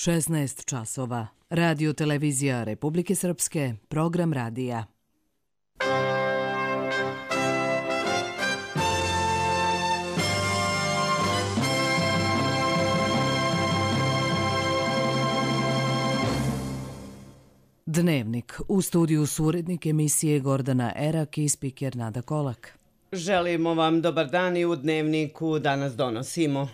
16 časova. Radio televizija Republike Srpske, program radija. Dnevnik. U studiju su urednik emisije Gordana Erak i spiker Nada Kolak. Želimo vam dobar dan i u Dnevniku danas donosimo.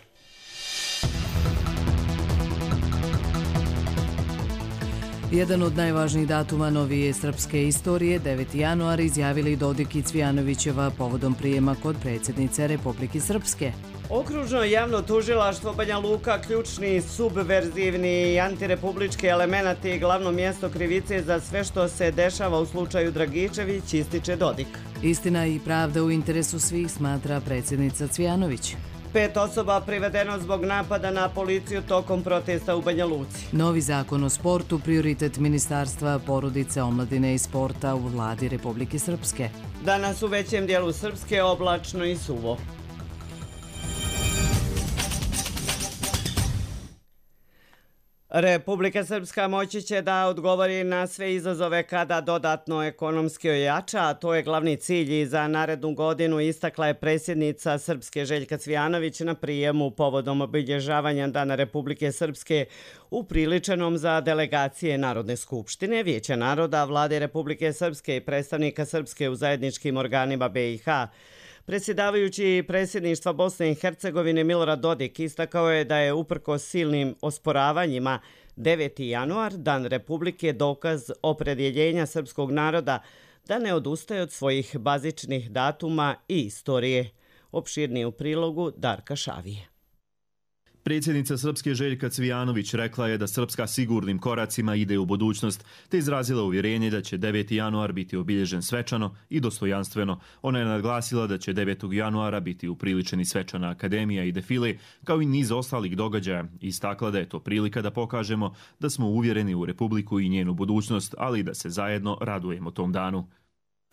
Jedan od najvažnijih datuma novije srpske istorije, 9. januar, izjavili Dodik i Cvijanovićeva povodom prijema kod predsjednice Republike Srpske. Okružno javno tužilaštvo Banja Luka, ključni subverzivni i antirepublički elemenati i glavno mjesto krivice za sve što se dešava u slučaju Dragičević, ističe Dodik. Istina i pravda u interesu svih, smatra predsjednica Cvijanović. 5 osoba privedeno zbog napada na policiju tokom protesta u Banja Luci. Novi zakon o sportu, prioritet Ministarstva porodice, omladine i sporta u vladi Republike Srpske. Danas u većem dijelu Srpske oblačno i suvo. Republika Srpska moći će da odgovori na sve izazove kada dodatno ekonomski ojača, a to je glavni cilj i za narednu godinu, istakla je predsjednica Srpske Željka Cvijanović na prijemu povodom obilježavanja Dana Republike Srpske upriličenom za delegacije Narodne skupštine, Vijeća naroda, Vlade Republike Srpske i predstavnika Srpske u zajedničkim organima BiH. Predsjedavajući predsjedništva Bosne i Hercegovine Milorad Dodik istakao je da je uprkos silnim osporavanjima 9. januar, Dan Republike, dokaz opredjeljenja srpskog naroda da ne odustaje od svojih bazičnih datuma i istorije. Opširnije u prilogu Darka Šavije. Predsjednica Srpske Željka Cvijanović rekla je da Srpska sigurnim koracima ide u budućnost, te izrazila uvjerenje da će 9. januar biti obilježen svečano i dostojanstveno. Ona je naglasila da će 9. januara biti upriličeni svečana akademija i defile, kao i niz ostalih događaja. Istakla da je to prilika da pokažemo da smo uvjereni u Republiku i njenu budućnost, ali da se zajedno radujemo tom danu.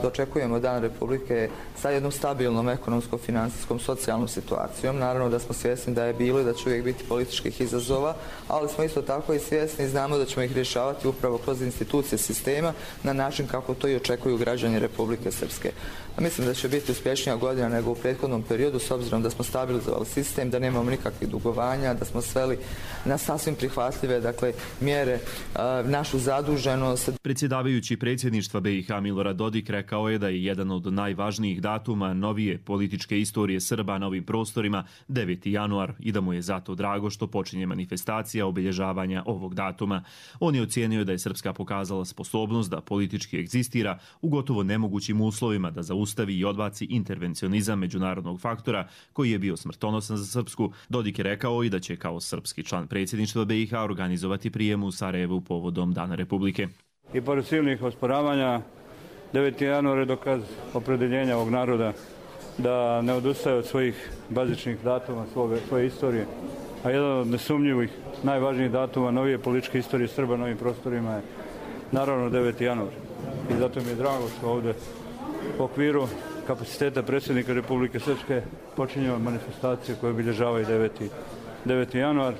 Očekujemo Dan Republike sa jednom stabilnom ekonomskom, finansijskom, socijalnom situacijom. Naravno da smo svjesni da je bilo i da će uvijek biti političkih izazova, ali smo isto tako i svjesni i znamo da ćemo ih rješavati upravo kroz institucije sistema na način kako to i očekuju građani Republike Srpske. Mislim da će biti uspješnija godina nego u prethodnom periodu, s obzirom da smo stabilizovali sistem, da nemamo nikakvih dugovanja, da smo sveli na sasvim prihvatljive mjere našu zaduženost. Predsjedavajući predsjedništva BiH Milorad Dodik rekao je da je jedan od najvažnijih datuma novije političke istorije Srba na ovim prostorima 9. januar i da mu je zato drago što počinje manifestacija obilježavanja ovog datuma. On je ocijenio da je Srpska pokazala sposobnost da politički egzistira u gotovo nemogućim uslovima, da zaustavi i odbaci intervencionizam međunarodnog faktora koji je bio smrtonosan za Srpsku. Dodik je rekao i da će kao srpski član predsjedništva BiH organizovati prijem u Sarajevu povodom Dana Republike. I pored silnih osporavanja, 9. januar je dokaz opredjeljenja ovog naroda da ne odustaje od svojih bazičnih datuma, svoje istorije. A jedan od nesumnjivih, najvažnijih datuma novije političke istorije Srba na ovim prostorima je naravno 9. januar. I zato mi je drago što ovdje u okviru kapaciteta predsjednika Republike Srpske počinjemo manifestacije koje obilježavaju 9. januar.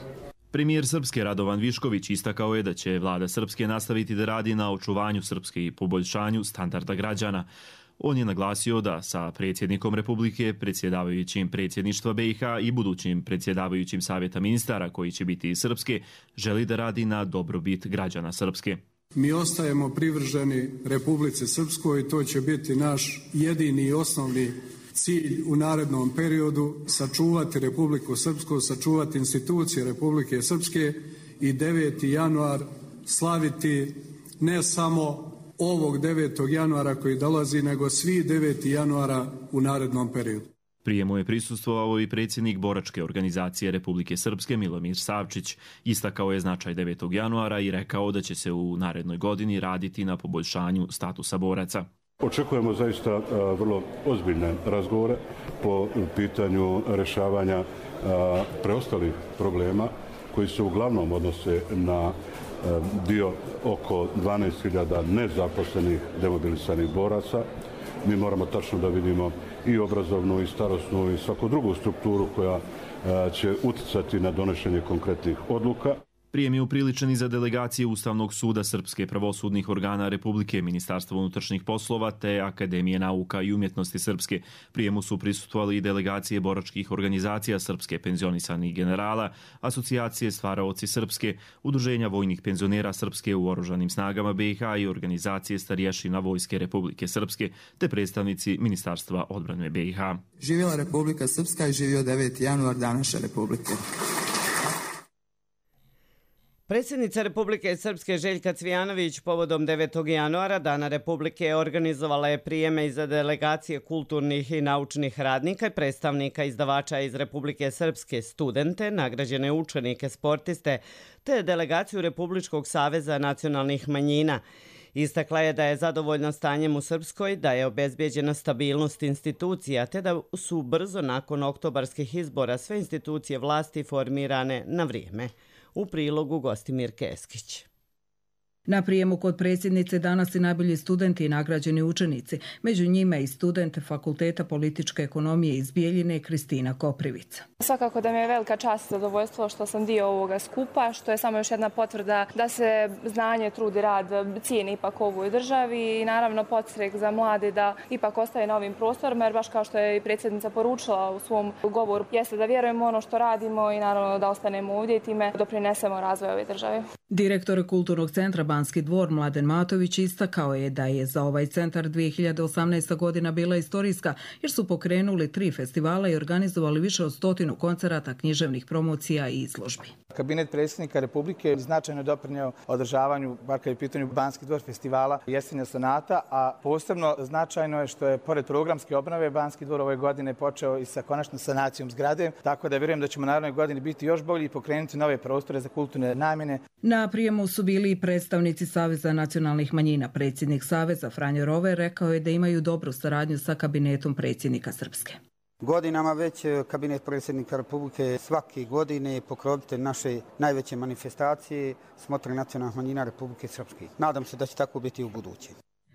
Premijer Srpske Radovan Višković istakao je da će vlada Srpske nastaviti da radi na očuvanju Srpske i poboljšanju standarda građana. On je naglasio da sa predsjednikom Republike, predsjedavajućim predsjedništva BiH i budućim predsjedavajućim savjeta ministara koji će biti iz Srpske, želi da radi na dobrobit građana Srpske. Mi ostajemo privrženi Republici Srpskoj i to će biti naš jedini i osnovni cilj u narednom periodu, sačuvati Republiku Srpsku, sačuvati institucije Republike Srpske i 9. januar slaviti ne samo ovog 9. januara koji dolazi, nego svi 9. januara u narednom periodu. Prijemu je prisustvovao i predsjednik boračke organizacije Republike Srpske Milomir Savčić. Istakao je značaj 9. januara i rekao da će se u narednoj godini raditi na poboljšanju statusa boraca. Očekujemo zaista vrlo ozbiljne razgovore po pitanju rješavanja preostalih problema koji se uglavnom odnose na dio oko 12.000 nezaposlenih demobilisanih boraca. Mi moramo tačno da vidimo i obrazovnu i starosnu i svaku drugu strukturu koja će utjecati na donošenje konkretnih odluka. Prijem je upriličen i za delegacije Ustavnog suda Srpske, pravosudnih organa Republike, Ministarstva unutrašnjih poslova te Akademije nauka i umjetnosti Srpske. Prijemu su prisustvovali i delegacije boračkih organizacija Srpske, penzionisanih generala, Asocijacije stvaraoci Srpske, Udruženja vojnih penzionera Srpske u oružanim snagama BiH i organizacije starješina Vojske Republike Srpske te predstavnici Ministarstva odbrane BiH. Živjela Republika Srpska i živio 9. januar, dan naše Republike. Predsjednica Republike Srpske Željka Cvijanović povodom 9. januara, Dana Republike, organizovala je prijeme za delegacije kulturnih i naučnih radnika i predstavnika izdavača iz Republike Srpske, studente, nagrađene učenike, sportiste, te delegaciju Republičkog saveza nacionalnih manjina. Istakla je da je zadovoljna stanjem u Srpskoj, da je obezbijeđena stabilnost institucija, te da su brzo nakon oktobarskih izbora sve institucije vlasti formirane na vrijeme. U prilogu Gostimir Keskić. Na prijemu kod predsjednice danas i najbolji studenti i nagrađeni učenici, među njima i studente Fakulteta političke ekonomije iz Bijeljine Kristina Koprivica. Svakako da mi je velika čast i zadovoljstvo što sam dio ovoga skupa, što je samo još jedna potvrda da se znanje, trud i rad cijeni ipak u ovoj državi i naravno podstrek za mlade da ipak ostaje na ovim prostorima, jer baš kao što je i predsjednica poručila u svom govoru, jeste da vjerujemo ono što radimo i naravno da ostanemo ovdje i time doprinesemo razvoju ove države. Direktor Kulturnog centra Banski dvor Mladen Matović istakao je da je za ovaj centar 2018. godina bila istorijska jer su pokrenuli 3 festivala i organizovali više od 100 koncerata, književnih promocija i izložbi. Kabinet predsjednika Republike značajno doprinio održavanju, bar kad je u pitanju Banski dvor festivala Jesenja sonata, a posebno značajno je što je pored programske obnove Banski dvor ove godine počeo i sa konačnom sanacijom zgrade, tako da vjerujem da ćemo naredne godine biti još bolji i pokrenuti nove prostore za kulturne namjene. Na prijemu su bili i predstavnici Saveza nacionalnih manjina. Predsjednik Saveza Franjo Rover rekao je da imaju dobru saradnju sa kabinetom predsjednika Srpske. Godinama već kabinet predsjednika Republike svake godine pokrovitelj naše najveće manifestacije Smotre nacionalnih manjina Republike Srpske. Nadam se da će tako biti u buduće.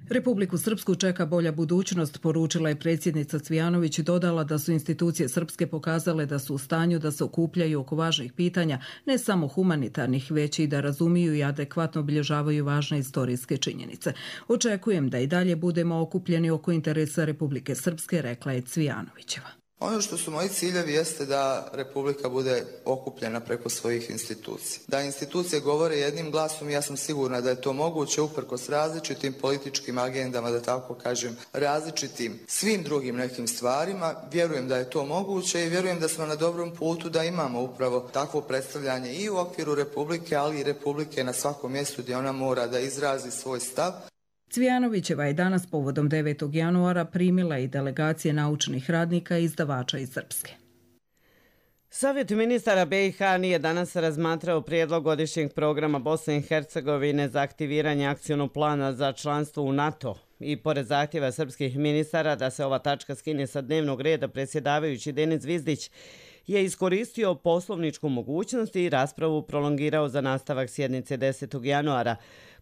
Republiku Srpsku čeka bolja budućnost, poručila je predsjednica Cvijanović i dodala da su institucije Srpske pokazale da su u stanju da se okupljaju oko važnih pitanja, ne samo humanitarnih, već i da razumiju i adekvatno obilježavaju važne istorijske činjenice. Očekujem da i dalje budemo okupljeni oko interesa Republike Srpske, rekla je Cvijanovićeva. Ono što su moji ciljevi jeste da Republika bude okupljena preko svojih institucija. Da institucije govore jednim glasom, ja sam sigurna da je to moguće uprkos različitim političkim agendama, da tako kažem, različitim svim drugim nekim stvarima. Vjerujem da je to moguće i vjerujem da smo na dobrom putu da imamo upravo takvo predstavljanje i u okviru Republike, ali i Republike na svakom mjestu gdje ona mora da izrazi svoj stav. Cvijanovićeva je danas povodom 9. januara primila i delegacije naučnih radnika i izdavača iz Srpske. Savjet ministara BiH nije danas razmatrao prijedlog godišnjeg programa Bosne i Hercegovine za aktiviranje akcionog plana za članstvo u NATO. I pored zahtjeva srpskih ministara da se ova tačka skine sa dnevnog reda, predsjedavajući Denis Zvizdić je iskoristio poslovničku mogućnost i raspravu prolongirao za nastavak sjednice 10. januara.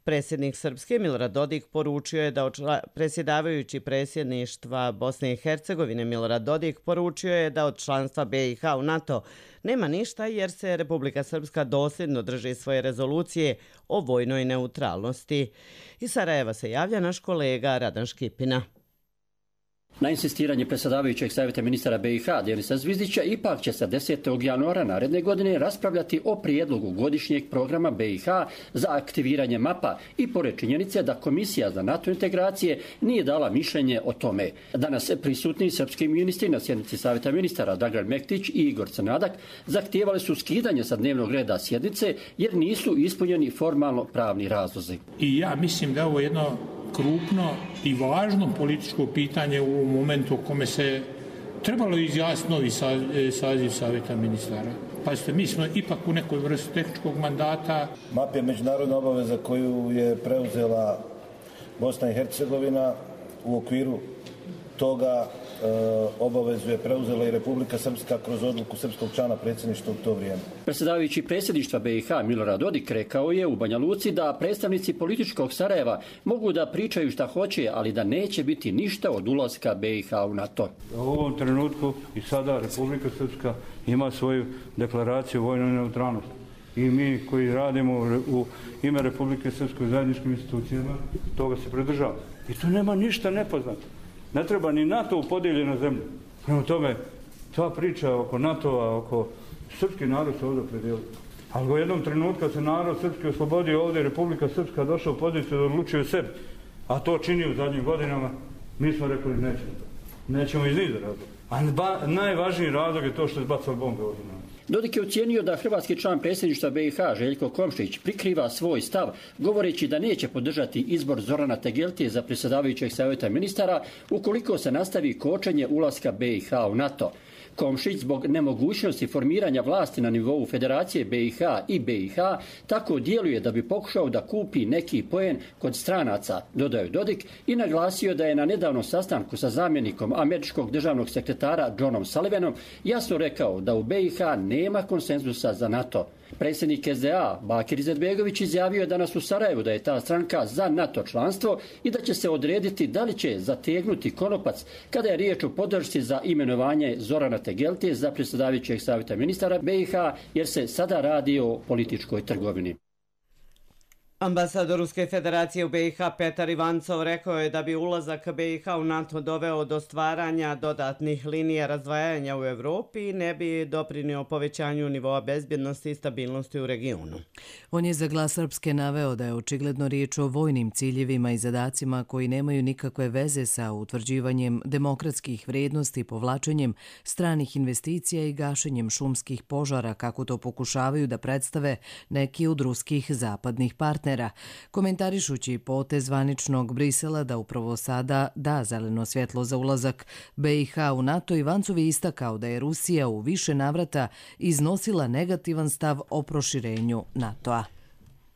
Predsjednik Srpske Milorad Dodik poručio je da predsjedavajući predsjedništva Bosne i Hercegovine Milorad Dodik poručio je da od članstva BiH u NATO nema ništa jer se Republika Srpska dosljedno drži svoje rezolucije o vojnoj neutralnosti. Iz Sarajeva se javlja naš kolega Radan Škipina. Na insistiranje predsjedavajućeg savjeta ministara BiH Denisa Zvizdića ipak će se 10. januara naredne godine raspravljati o prijedlogu godišnjeg programa BiH za aktiviranje mapa i pored činjenice da Komisija za NATO integracije nije dala mišljenje o tome. Danas prisutni srpski ministri na sjednici savjeta ministara Dragan Mektić i Igor Crnadak zahtijevali su skidanje sa dnevnog reda sjednice jer nisu ispunjeni formalno pravni razlozi. I ja mislim da ovo jedno krupno i važno političko pitanje u momentu u kome se trebalo izjasniti novi saziv savjeta ministara. Pazite, mi smo ipak u nekoj vrsti tehničkog mandata. MAP je međunarodna obaveza koju je preuzela Bosna i Hercegovina. U okviru toga obavezu je preuzela i Republika Srpska kroz odluku srpskog člana predsjedništva u to vrijeme. Predsjedavajući predsjedništva BiH Milorad Dodik rekao je u Banja Luci da predstavnici političkog Sarajeva mogu da pričaju šta hoće, ali da neće biti ništa od ulaska BiH u NATO. U ovom trenutku i sada Republika Srpska ima svoju deklaraciju o vojnoj neutralnosti. I mi koji radimo u ime Republike Srpske u zajedničkim institucijama, toga se pridržava. I tu nema ništa nepoznato. Ne treba ni NATO u podijeljenu zemlju. Prema tome, ta priča oko NATO-a, oko srpski narod se ovdje predijelio. Ali u jednom trenutku kad se narod srpski oslobodio ovdje, Republika Srpska došla u poziciju da odlučuje o sebi, a to čini u zadnjim godinama, mi smo rekli nećemo. Nećemo iz niza razloga. A najvažniji razlog je to što je zbacao bombe ovdje. Dodik je ocijenio da hrvatski član predsjedništva BiH Željko Komšić prikriva svoj stav govoreći da neće podržati izbor Zorana Tegeltije za predsjedavajućeg savjeta ministara ukoliko se nastavi kočenje ulaska BiH u NATO. Komšić zbog nemogućnosti formiranja vlasti na nivou Federacije BiH i BiH tako djeluje da bi pokušao da kupi neki poen kod stranaca, dodao Dodik i naglasio da je na nedavnom sastanku sa zamjenikom američkog državnog sekretara Johnom Sullivanom jasno rekao da u BiH nema konsenzusa za NATO. Predsjednik SDA Bakir Izetbegović izjavio je danas u Sarajevu da je ta stranka za NATO članstvo i da će se odrediti da li će zategnuti konopac kada je riječ o podršci za imenovanje Zorana Tegeltije za predsjedavajućeg savjeta ministara BiH, jer se sada radi o političkoj trgovini. Ambasador Ruske federacije u BiH Petar Ivancov rekao je da bi ulazak BiH u NATO doveo do stvaranja dodatnih linija razdvajanja u Evropi i ne bi doprinio povećanju nivoa bezbjednosti i stabilnosti u regionu. On je za Glas Srpske naveo da je očigledno riječ o vojnim ciljevima i zadacima koji nemaju nikakve veze sa utvrđivanjem demokratskih vrijednosti, povlačenjem stranih investicija i gašenjem šumskih požara, kako to pokušavaju da predstave neki od ruskih zapadnih partnera. Komentarišući potez zvaničnog Brisela da upravo sada da zeleno svjetlo za ulazak BiH u NATO, Ivancov je istakao da je Rusija u više navrata iznosila negativan stav o proširenju NATO-a.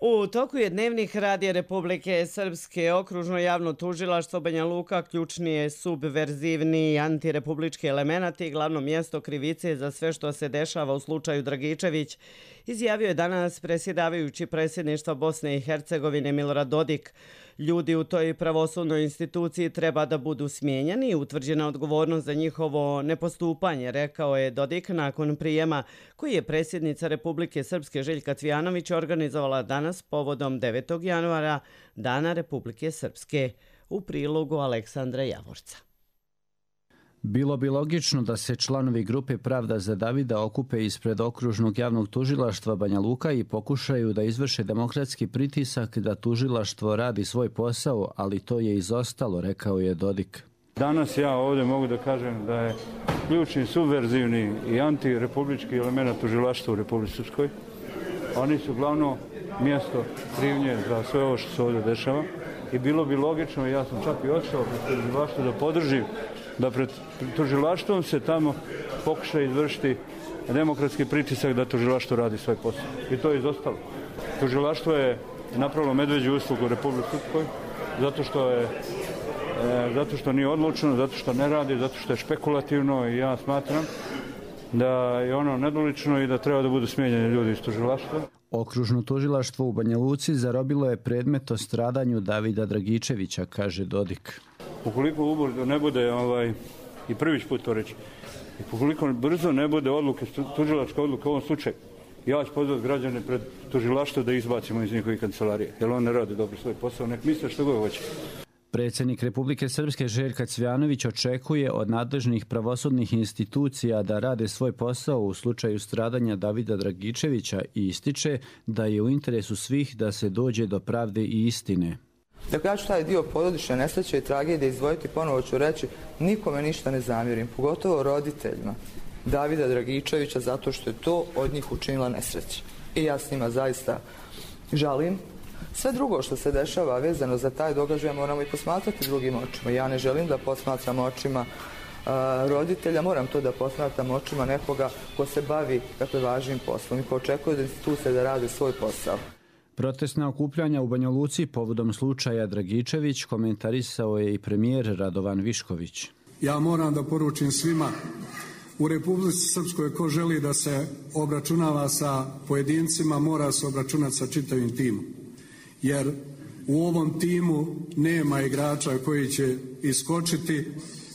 U toku je dnevnih radija Republike Srpske okružno javno tužilaštvo Banja Luka ključni je subverzivni antirepublički element i glavno mjesto krivice za sve što se dešava u slučaju Dragičević, izjavio je danas predsjedavajući predsjedništva Bosne i Hercegovine Milorad Dodik. Ljudi u toj pravosudnoj instituciji treba da budu smijenjeni i utvrđena odgovornost za njihovo nepostupanje, rekao je Dodik nakon prijema koji je predsjednica Republike Srpske Željka Cvijanović organizovala danas povodom 9. januara, Dana Republike Srpske, u prilogu Aleksandra Javorca. Bilo bi logično da se članovi grupe Pravda za Davida okupe ispred okružnog javnog tužilaštva Banja Luka i pokušaju da izvrše demokratski pritisak da tužilaštvo radi svoj posao, ali to je izostalo, rekao je Dodik. Danas ja ovdje mogu da kažem da je ključni subverzivni i antirepublički element tužilaštva u Republici Srpskoj. Oni su glavno mjesto krivnje za sve ovo što se ovdje dešava i bilo bi logično, ja sam čak i otišao pred tužilaštvo da podržim da pred tužilaštvom se tamo pokuša izvršiti demokratski pritisak da tužilaštvo radi svoj posao. I to je izostalo. Tužilaštvo je napravilo medveđu uslugu u Republici Srpskoj zato što nije odlučno, zato što ne radi, zato što je špekulativno i ja smatram da je ono nedolično i da treba da budu smijenjeni ljudi iz tužilaštva. Okružno tužilaštvo u Banja Luci zarobilo je predmet o stradanju Davida Dragičevića, kaže Dodik. Ukoliko ubrzo ne bude, i prvić put to reći, i ukoliko brzo ne bude odluke, tužilačka odluka u ovom slučaju, ja ću pozvati građane pred tužilaštvo da izbacimo iz njihovih kancelarije, jer on ne radi dobro svoj posao, nek misle što god hoće. Predsjednik Republike Srpske Željka Cvijanović očekuje od nadležnih pravosudnih institucija da rade svoj posao u slučaju stradanja Davida Dragičevića i ističe da je u interesu svih da se dođe do pravde i istine. Dakle, ja ću taj dio porodične nesreće i tragedije izdvojiti, ponovo ću reći, nikome ništa ne zamjerim, pogotovo roditeljima Davida Dragičevića, zato što je to od njih učinila nesreća. I ja s njima zaista žalim. Sve drugo što se dešava vezano za taj događaj moramo i posmatrati drugim očima. Ja ne želim da posmatram očima roditelja, moram to da posmatram očima nekoga ko se bavi važnim poslom i ko očekuje od institucije da rade svoj posao. Protestna okupljanja u Banja Luci povodom slučaja Dragičević komentarisao je i premijer Radovan Višković. Ja moram da poručim svima u Republici Srpskoj ko želi da se obračunava sa pojedincima, mora se obračunati sa čitavim timom. Jer u ovom timu nema igrača koji će iskočiti,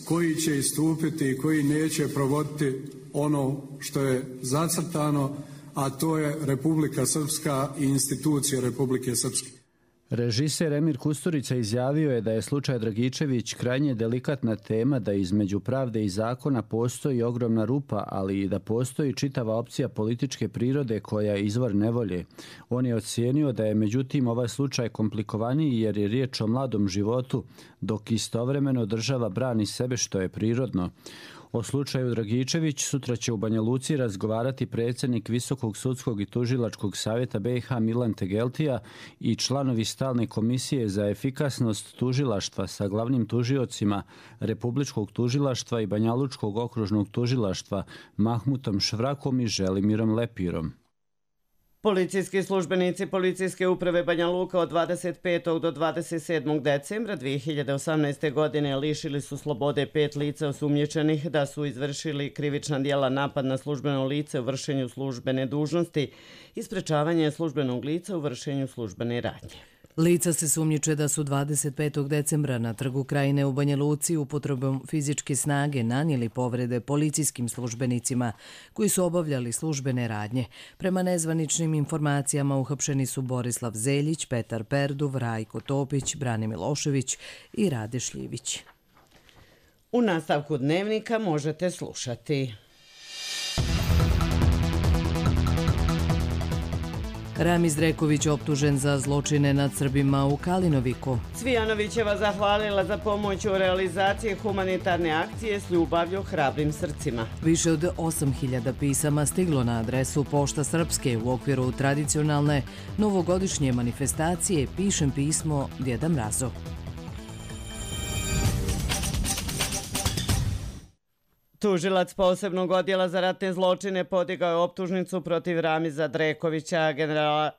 koji će istupiti i koji neće provoditi ono što je zacrtano, a to je Republika Srpska i institucije Republike Srpske. Režiser Emir Kusturica izjavio je da je slučaj Dragičević krajnje delikatna tema, da između pravde i zakona postoji ogromna rupa, ali i da postoji čitava opcija političke prirode koja je izvor nevolje. On je ocijenio da je međutim ovaj slučaj komplikovaniji jer je riječ o mladom životu, dok istovremeno država brani sebe što je prirodno. O slučaju Dragičević sutra će u Banja Luci razgovarati predsjednik Visokog sudskog i tužilačkog savjeta BiH Milan Tegeltija i članovi stalne komisije za efikasnost tužilaštva sa glavnim tužiocima Republičkog tužilaštva i Banjalučkog okružnog tužilaštva Mahmutom Švrakom i Želimirom Lepirom. Policijski službenici Policijske uprave Banja Luka od 25. do 27. decembra 2018. godine lišili su slobode 5 lica osumnjičenih da su izvršili krivična djela napad na službeno lice u vršenju službene dužnosti i sprečavanje službenog lica u vršenju službene radnje. Lica se sumnjiče da su 25. decembra na Trgu Krajine u Banja Luci upotrebom fizičke snage nanijeli povrede policijskim službenicima koji su obavljali službene radnje. Prema nezvaničnim informacijama uhapšeni su Borislav Zeljić, Petar Perduv, Rajko Topić, Brane Milošević i Rade Šljivić. U nastavku dnevnika možete slušati. Ramiz Dreković optužen za zločine nad Srbima u Kalinoviku. Cvijanovićeva zahvalila za pomoć u realizaciji humanitarne akcije s ljubavlju hrabrim srcima. Više od 8.000 pisama stiglo na adresu Pošta Srpske u okviru tradicionalne novogodišnje manifestacije Pišem pismo Djeda Mrazu. Tužilac posebnog odjela za ratne zločine podigao je optužnicu protiv Ramiza Drekovića,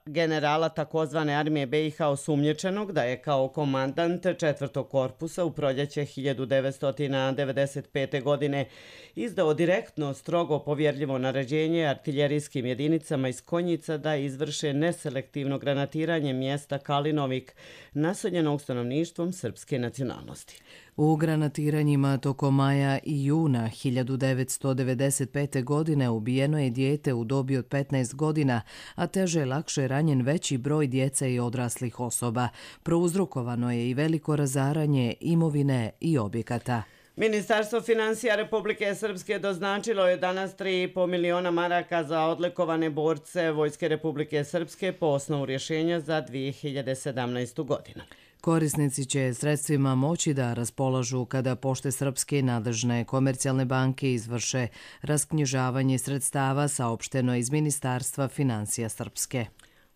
generala takozvane armije BiH osumnjičenog da je kao komandant 4. korpusa u proljeće 1995. godine izdao direktno strogo povjerljivo naređenje artiljerijskim jedinicama iz Konjica da izvrše neselektivno granatiranje mjesta Kalinovik naseljenog stanovništvom srpske nacionalnosti. U granatiranjima tokom maja i juna 1995. godine ubijeno je dijete u dobi od 15 godina, a teže lakše ranjen veći broj djece i odraslih osoba. Prouzrokovano je i veliko razaranje imovine i objekata. Ministarstvo financija Republike Srpske doznačilo je danas 3,5 miliona maraka za odlikovane borce Vojske Republike Srpske po osnovu rješenja za 2017. godinu. Korisnici će sredstvima moći da raspolažu kada Pošte Srpske i nadležne komercijalne banke izvrše rasknjižavanje sredstava, saopšteno iz Ministarstva financija Srpske.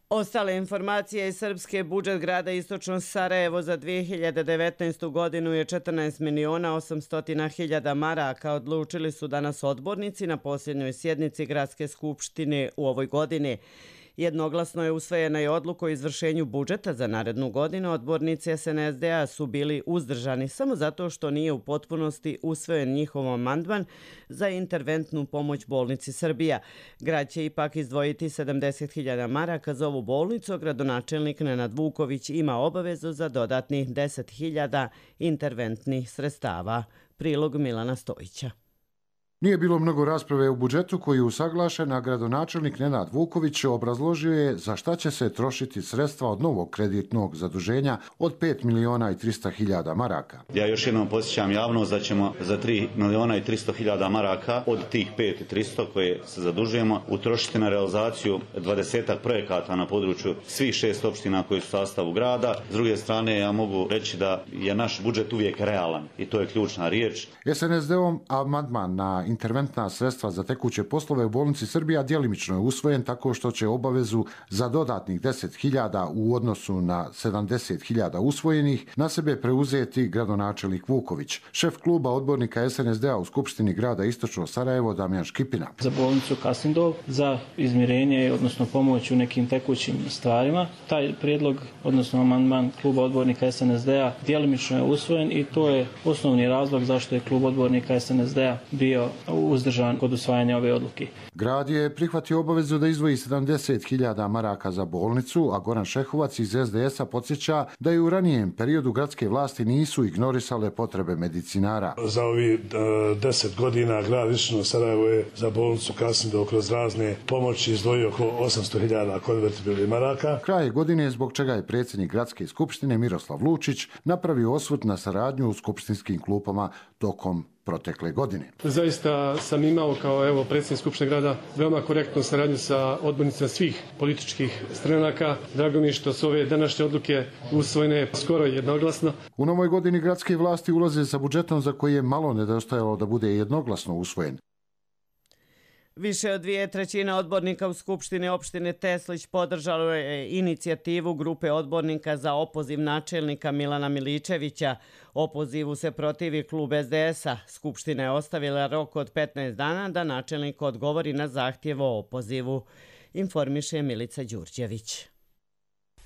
Ostale informacije iz Srpske: budžet grada Istočno Sarajevo za 2019. godinu je 14.800.000 maraka, odlučili su danas odbornici na posljednjoj sjednici Gradske skupštine u ovoj godini. Jednoglasno je usvojena i odluka o izvršenju budžeta za narednu godinu. Odbornici SNSD-a su bili uzdržani samo zato što nije u potpunosti usvojen njihov amandman za interventnu pomoć bolnici Srbija. Grad će ipak izdvojiti 70.000 maraka za ovu bolnicu. Gradonačelnik Nenad Vuković ima obavezu za dodatnih 10.000 interventnih sredstava. Prilog Milana Stojića. Nije bilo mnogo rasprave u budžetu koji je usaglašen, a gradonačelnik Nenad Vuković obrazložio je za šta će se trošiti sredstva od novog kreditnog zaduženja od 5.300.000 maraka. Ja još jednom podsjećam javnost da ćemo za 3.300.000 maraka od tih 5.300 koje se zadužujemo utrošiti na realizaciju 20 projekata na području svih 6 opština koji su u sastavu grada. S druge strane, ja mogu reći da je naš budžet uvijek realan i to je ključna riječ. SNSD-om amandman na interventna sredstva za tekuće poslove u bolnici Srbija djelimično je usvojen tako što će obavezu za dodatnih 10.000 u odnosu na 70.000 usvojenih na sebe preuzeti gradonačelnik Vuković. Šef kluba odbornika SNSD-a u Skupštini grada Istočno Sarajevo Damjan Škipina. Za bolnicu Kasindov, za izmirenje, odnosno pomoć u nekim tekućim stvarima. Taj prijedlog, odnosno amandman kluba odbornika SNSD-a djelimično je usvojen i to je osnovni razlog zašto je klub odbornika SNSD-a bio uzdržan kod usvajanja ove odluke. Grad je prihvatio obavezu da izdvoji 70.000 maraka za bolnicu, a Goran Šehovac iz SDS-a podsjeća da je u ranijem periodu gradske vlasti nisu ignorisale potrebe medicinara. Za ovi 10 godina grad Višegrad Sarajevo je za bolnicu Kasindov kroz razne pomoći izdvojio oko 800.000 konvertibilnih maraka. Kraj godine, zbog čega je predsjednik gradske skupštine Miroslav Lučić napravio osvrt na saradnju u skupštinskim klupama tokom protekle godine. Zaista sam imao kao predsjednik Skupštine grada veoma korektnu saradnju sa odbornicima svih političkih stranaka. Drago mi je što su ove današnje odluke usvojene skoro jednoglasno. U novoj godini gradske vlasti ulaze sa budžetom za koji je malo nedostajalo da bude jednoglasno usvojen. Više od 2/3 odbornika u Skupštini opštine Teslić podržalo je inicijativu grupe odbornika za opoziv načelnika Milana Miličevića. Opozivu se protivi klub SDS-a. Skupština je ostavila rok od 15 dana da načelnik odgovori na zahtjev o opozivu, informiše Milica Đurđević.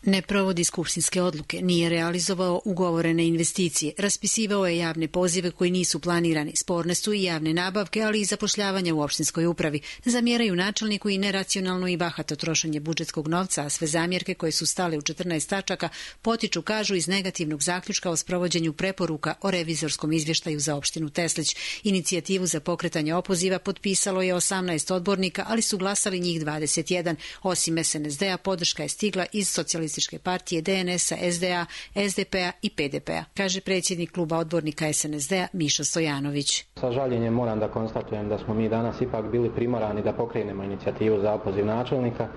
Ne provodi skupštinske odluke, nije realizovao ugovorene investicije, raspisivao je javne pozive koji nisu planirani, sporne su i javne nabavke, ali i zapošljavanja u opštinskoj upravi. Zamjeraju načelniku i neracionalno i bahato trošenje budžetskog novca, a sve zamjerke koje su stale u 14 tačaka potiču, kažu, iz negativnog zaključka o sprovođenju preporuka o revizorskom izvještaju za opštinu Teslić. Inicijativu za pokretanje opoziva potpisalo je 18 odbornika, ali su glasali njih 21. Osim SNSD-a, podrška je stigla iz Socijalističke partije, DNS-a, SDA, SDP-a i PDP-a, kaže predsjednik kluba odbornika SNSD-a Miša Stojanović. Sa žaljenjem moram da konstatujem da smo mi danas ipak bili primorani da pokrenemo inicijativu za opoziv načelnika.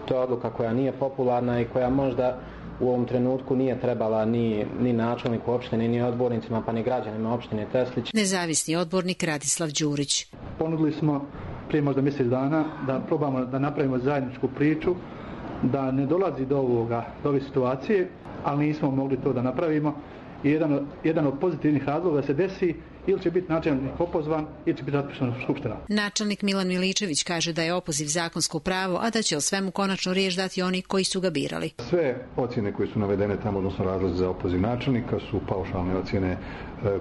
To je odluka koja nije popularna i koja možda u ovom trenutku nije trebala ni načelniku opštine, ni odbornicima, pa ni građanima opštine Teslić. Nezavisni odbornik Radislav Đurić. Ponudili smo prije možda mjesec dana da probamo da napravimo zajedničku priču, da ne dolazi do ove situacije, ali nismo mogli to da napravimo. I jedan od pozitivnih razloga da se desi, ili će biti načelnik opozvan ili će biti raspuštena skupština. Načelnik Milan Miličević kaže da je opoziv zakonsko pravo, a da će o svemu konačno riječ dati oni koji su ga birali. Sve ocjene koje su navedene tamo, odnosno razlozi za opoziv načelnika, su paušalne ocjene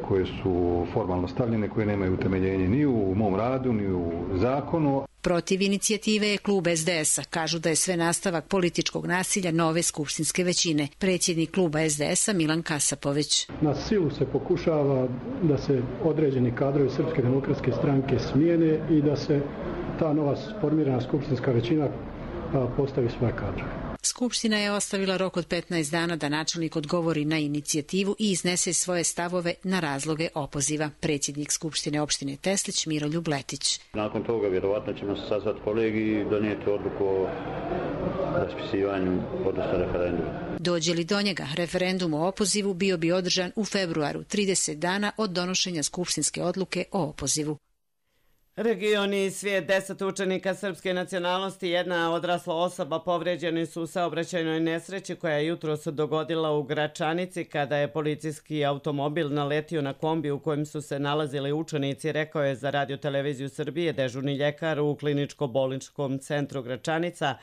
koje su formalno stavljene, koje nemaju utemeljenje ni u mom radu, ni u zakonu. Protiv inicijative je klub SDS-a. Kažu da je sve nastavak političkog nasilja nove skupštinske većine. Predsjednik kluba SDS-a Milan Kasapović. Na silu se pokušava da se određeni kadrovi Srpske demokratske stranke smijene i da se ta nova formirana skupštinska većina postavi svoje kadrove. Skupština je ostavila rok od 15 dana da načelnik odgovori na inicijativu i iznese svoje stavove na razloge opoziva. Predsjednik Skupštine opštine Teslić Miroljub Letić. Nakon toga vjerovatno ćemo se sazvati kolegi i donijeti odluku o raspisivanju, odnosno referenduma. Dođe li do njega, referendum o opozivu bio bi održan u februaru, 30 dana od donošenja skupštinske odluke o opozivu. Region i svijet, 10 učenika srpske nacionalnosti i jedna odrasla osoba povređeni su u saobraćajnoj nesreći koja je jutros dogodila u Gračanici kada je policijski automobil naletio na kombi u kojem su se nalazili učenici, rekao je za Radio Televiziju Srbije dežurni ljekar u kliničko-bolničkom centru Gračanica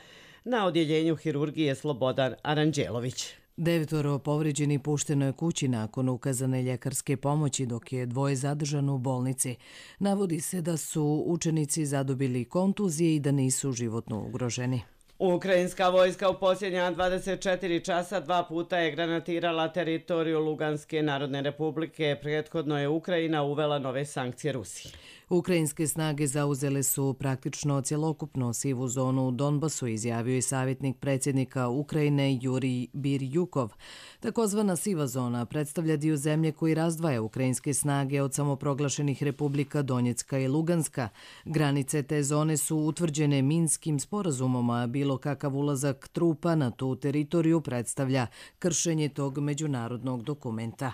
na odjeljenju hirurgije Slobodan Aranđelović. 9 povrijeđenih pušteno je kući nakon ukazane ljekarske pomoći, dok je 2 zadržano u bolnici. Navodi se da su učenici zadobili kontuzije i da nisu životno ugroženi. Ukrajinska vojska u posljednja 24 časa 2 puta je granatirala teritoriju Luganske narodne republike. Prethodno je Ukrajina uvela nove sankcije Rusiji. Ukrajinske snage zauzele su praktično cjelokupno sivu zonu u Donbasu, izjavio je savjetnik predsjednika Ukrajine Jurij Birjukov. Takozvana siva zona predstavlja dio zemlje koji razdvaja ukrajinske snage od samoproglašenih republika Donjecka i Luganska. Granice te zone su utvrđene Minskim sporazumom, a bilo kakav ulazak trupa na tu teritoriju predstavlja kršenje tog međunarodnog dokumenta.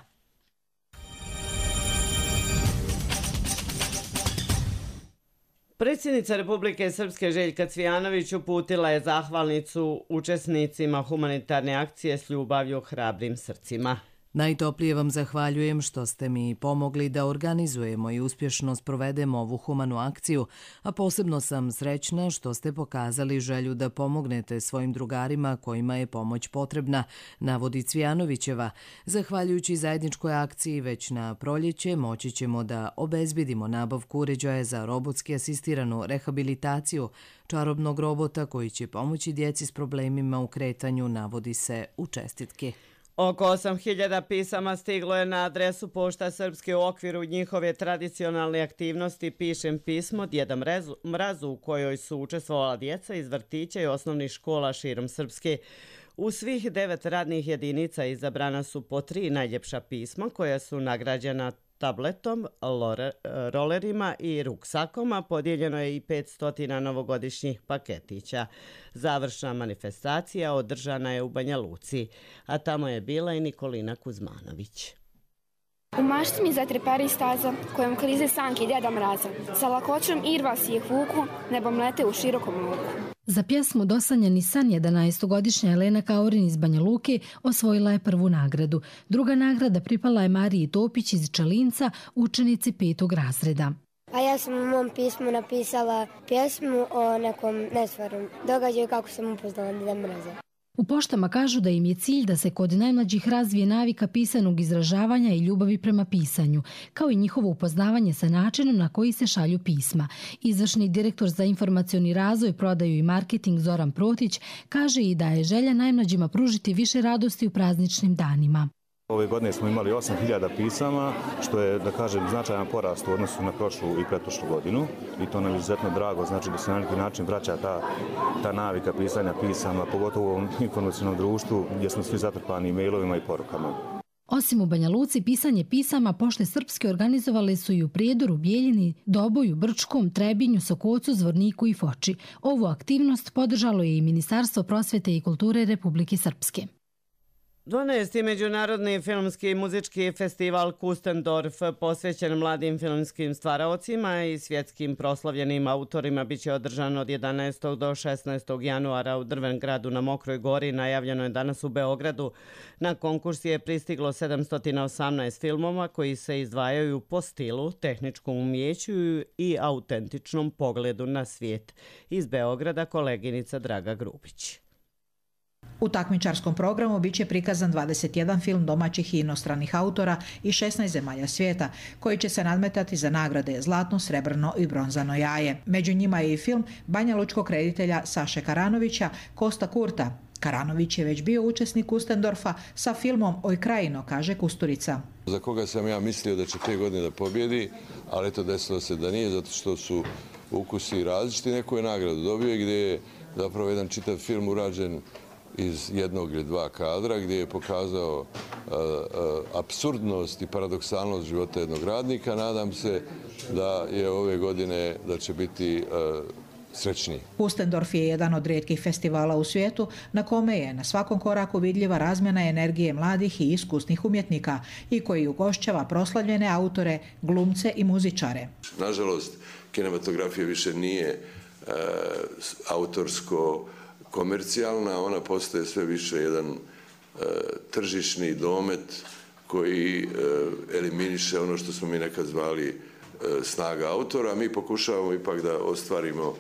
Predsjednica Republike Srpske Željka Cvijanović uputila je zahvalnicu učesnicima humanitarne akcije S ljubavlju hrabrim srcima. Najtoplije vam zahvaljujem što ste mi pomogli da organizujemo i uspješno sprovedemo ovu humanu akciju, a posebno sam srećna što ste pokazali želju da pomognete svojim drugarima kojima je pomoć potrebna, navodi Cvijanovićeva. Zahvaljujući zajedničkoj akciji već na proljeće moći ćemo da obezbedimo nabavku uređaja za robotski asistiranu rehabilitaciju, čarobnog robota koji će pomoći djeci s problemima u kretanju, navodi se u čestitki. Oko 8.000 pisama stiglo je na adresu Pošta Srpske u okviru njihove tradicionalne aktivnosti Pišem pismo Djeda Mrazu, u kojoj su učestvovala djeca iz vrtića i osnovnih škola širom Srpske. U svih 9 radnih jedinica izabrana su po 3 najljepša pisma koja su nagrađena tabletom, rolerima i ruksakom, a podijeljeno je i 500 novogodišnjih paketića. Završna manifestacija održana je u Banja Luci, a tamo je bila i Nikolina Kuzmanović. U mašti mi zatrepari staza kojom klize sanke Djeda Mraza. Sa lakoćom irva si ih vuku, nebom lete u širokom luku. Za pjesmu Dosanjani san 11-godišnja Elena Kaurin iz Banja Luke osvojila je prvu nagradu. Druga nagrada pripala je Mariji Topić iz Čalinca, učenici 5. razreda. A ja sam u mom pismu napisala pjesmu o nekom nestvarnom događaju kako sam upoznala Djeda Mraza. U poštama kažu da im je cilj da se kod najmlađih razvije navika pisanog izražavanja i ljubavi prema pisanju, kao i njihovo upoznavanje sa načinom na koji se šalju pisma. Izvršni direktor za informacioni razvoj, prodaju i marketing Zoran Protić kaže i da je želja najmlađima pružiti više radosti u prazničnim danima. Ove godine smo imali 8.000 pisama, što je, da kažem, značajan porast u odnosu na prošlu i pretprošlu godinu. I to nam je izuzetno drago, znači da se na neki način vraća ta navika pisanja pisama, pogotovo u ovom informacionom društvu gdje smo svi zatrpani mailovima i porukama. Osim u Banja Luci, pisanje pisama Pošte Srpske organizovale su i u Prijedoru, Bijeljini, Doboju, Brčkom, Trebinju, Sokocu, Zvorniku i Foči. Ovu aktivnost podržalo je i Ministarstvo prosvete i kulture Republike Srpske. 12. Međunarodni filmski i muzički festival Kustendorf posvećen mladim filmskim stvaraocima i svjetskim proslavljenim autorima biće održan od 11. do 16. januara u Drvengradu na Mokroj gori. Najavljeno je danas u Beogradu. Na konkurs je pristiglo 718 filmova koji se izdvajaju po stilu, tehničkom umijeću i autentičnom pogledu na svijet. Iz Beograda koleginica Draga Grubić. U takmičarskom programu biće prikazan 21 film domaćih i inostranih autora i 16 zemalja svijeta, koji će se nadmetati za nagrade Zlatno, Srebrno i Bronzano jaje. Među njima je i film banjalučkog reditelja Saše Karanovića, Kosta Kurta. Karanović je već bio učesnik Kustendorfa sa filmom Oj krajino, kaže Kusturica. Za koga sam ja mislio da će te godine da pobjedi, ali to desilo se da nije, zato što su ukusi različiti. Neku je nagradu dobio gdje je zapravo jedan čitav film urađen iz jednog ili dva kadra, gdje je pokazao apsurdnost i paradoksalnost života jednog radnika. Nadam se da je ove godine da će biti srećniji. Kustendorf je jedan od rijetkih festivala u svijetu na kome je na svakom koraku vidljiva razmjena energije mladih i iskusnih umjetnika i koji ugošćava proslavljene autore, glumce i muzičare. Nažalost, kinematografija više nije autorsko komercijalna, ona postaje sve više jedan tržišni domet koji eliminiše ono što smo mi nekad zvali snaga autora. Mi pokušavamo ipak da ostvarimo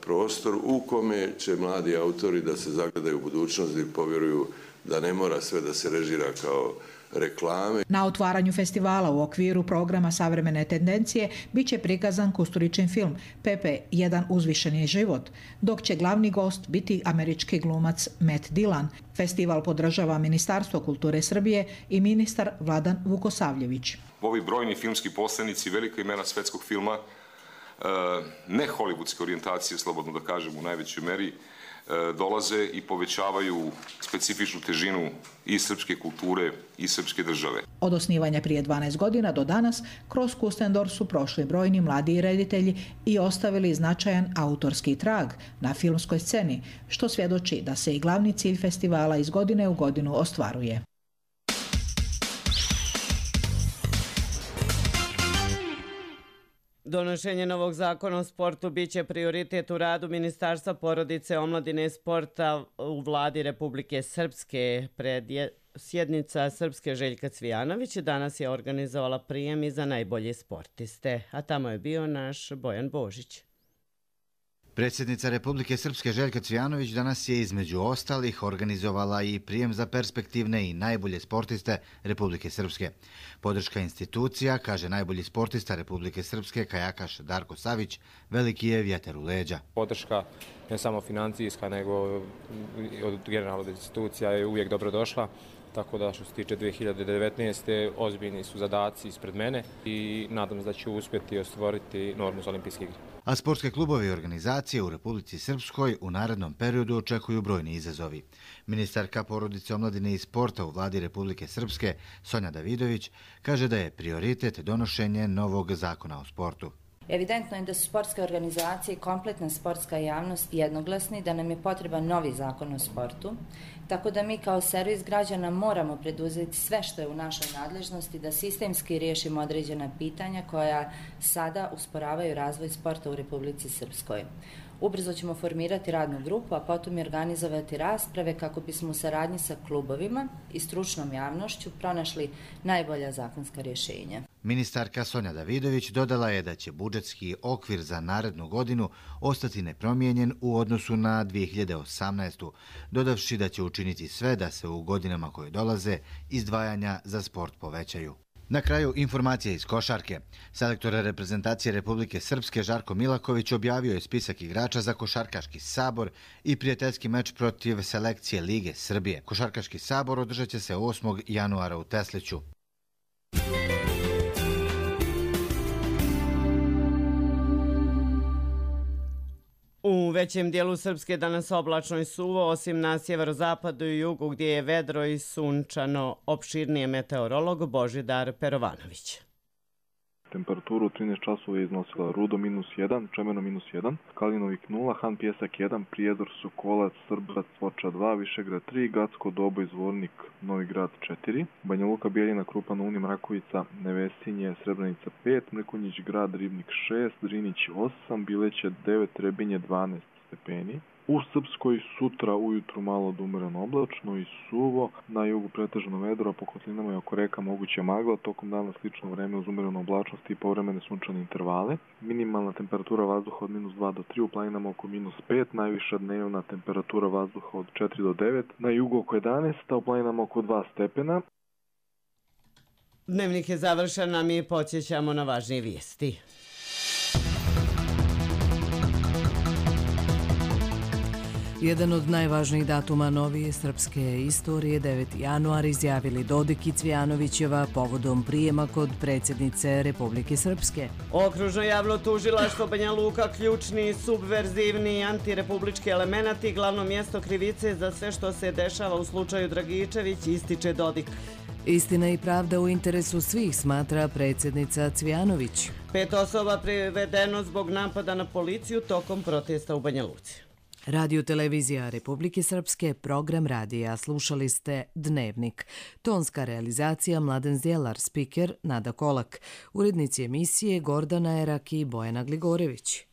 prostor u kome će mladi autori da se zagledaju u budućnost i povjeruju da ne mora sve da se režira kao reklame. Na otvaranju festivala u okviru programa Savremene tendencije biće prikazan Kusturičin film Pepe, jedan uzvišeni život, dok će glavni gost biti američki glumac Matt Dillon. Festival podržava Ministarstvo kulture Srbije i ministar Vladan Vukosavljević. Ovi brojni filmski poslanici, velika imena svetskog filma, ne hollywoodske orijentacije, slobodno da kažem u najvećoj meri, dolaze i povećavaju specifičnu težinu i srpske kulture i srpske države. Od osnivanja prije 12 godina do danas, kroz Kustendorf su prošli brojni mladi reditelji i ostavili značajan autorski trag na filmskoj sceni, što svjedoči da se i glavni cilj festivala iz godine u godinu ostvaruje. Donošenje novog zakona o sportu biće prioritet u radu Ministarstva porodice, omladine i sporta u vladi Republike Srpske. sjednica Srpske Željka Cvijanović danas je organizovala prijem i za najbolje sportiste, a tamo je bio naš Bojan Božić. Predsjednica Republike Srpske Željka Cvijanović danas je između ostalih organizovala i prijem za perspektivne i najbolje sportiste Republike Srpske. Podrška institucija, kaže najbolji sportista Republike Srpske kajakaš Darko Savić, veliki je vjetar u leđa. Podrška ne samo financijska, nego od generalnih institucija je uvijek dobrodošla. Tako da što se tiče 2019. ozbiljni su zadaci ispred mene i nadam se da ću uspjeti ostvariti normu za olimpijske igre. A sportske klubove i organizacije u Republici Srpskoj u narednom periodu očekuju brojni izazovi. Ministarka porodice, omladine i sporta u vladi Republike Srpske, Sonja Davidović, kaže da je prioritet donošenje novog zakona o sportu. Evidentno je da su sportske organizacije i kompletna sportska javnost jednoglasni da nam je potreban novi zakon o sportu, tako da mi kao servis građana moramo preduzeti sve što je u našoj nadležnosti da sistemski riješimo određena pitanja koja sada usporavaju razvoj sporta u Republici Srpskoj. Ubrzo ćemo formirati radnu grupu, a potom i organizovati rasprave kako bismo u saradnji sa klubovima i stručnom javnošću pronašli najbolja zakonska rješenja. Ministarka Sonja Davidović dodala je da će budžetski okvir za narednu godinu ostati nepromijenjen u odnosu na 2018. dodavši da će učiniti sve da se u godinama koje dolaze izdvajanja za sport povećaju. Na kraju informacije iz košarke. Selektor reprezentacije Republike Srpske Žarko Milaković objavio je spisak igrača za Košarkaški sabor i prijateljski meč protiv selekcije Lige Srbije. Košarkaški sabor održat će se 8. januara u Tesliću. U većem dijelu Srpske danas oblačno i suvo, osim na sjeverozapadu i jugu gdje je vedro i sunčano. Opširnije meteorolog Božidar Perovanović. Temperaturu 13 časova je iznosila Rudo -1, Čemerno -1, Kalinovik 0, Han Pjesak 1, Prijedor, Sokolac, Srbac, Foča 2, Višegrad 3, Gacko, Dobo, Zvornik, Novi Grad 4, Banja Luka, Bijeljina, Krupan, Uni, Mrakovica, Nevesinje, Srebrenica 5, Mrkonjić Grad, Ribnik 6, Drinić 8, Bileće 9, Trebinje 12 stepeni. U Srpskoj sutra ujutru malo do umereno oblačno i suvo, na jugu pretežno vedro, a po kotlinama i oko reka moguće magla, tokom dana slično vreme uz umerenu oblačnost i povremene sunčane intervale. Minimalna temperatura vazduha od -2 do 3, u planinama oko -5, najviša dnevna temperatura vazduha od 4 do 9, na jugu oko 11, a u planinama oko 2 stepena. Dnevnik je završen, a mi podsjećamo na važnije vijesti. Jedan od najvažnijih datuma novije srpske istorije, 9. januar, izjavili Dodik i Cvijanovićeva povodom prijema kod predsjednice Republike Srpske. Okružno javno tužilaštvo Banja Luka, ključni, subverzivni i antirepublički elemenati, glavno mjesto krivice za sve što se dešava u slučaju Dragičević, ističe Dodik. Istina i pravda u interesu svih, smatra predsjednica Cvijanović. 5 osoba privedeno zbog napada na policiju tokom protesta u Banja Luci. Radio televizija Republike Srpske, program radija, slušali ste Dnevnik. Tonska realizacija Mladen Zdjelar, spiker Nada Kolak, urednici emisije Gordana Erak i Bojana Gligorević.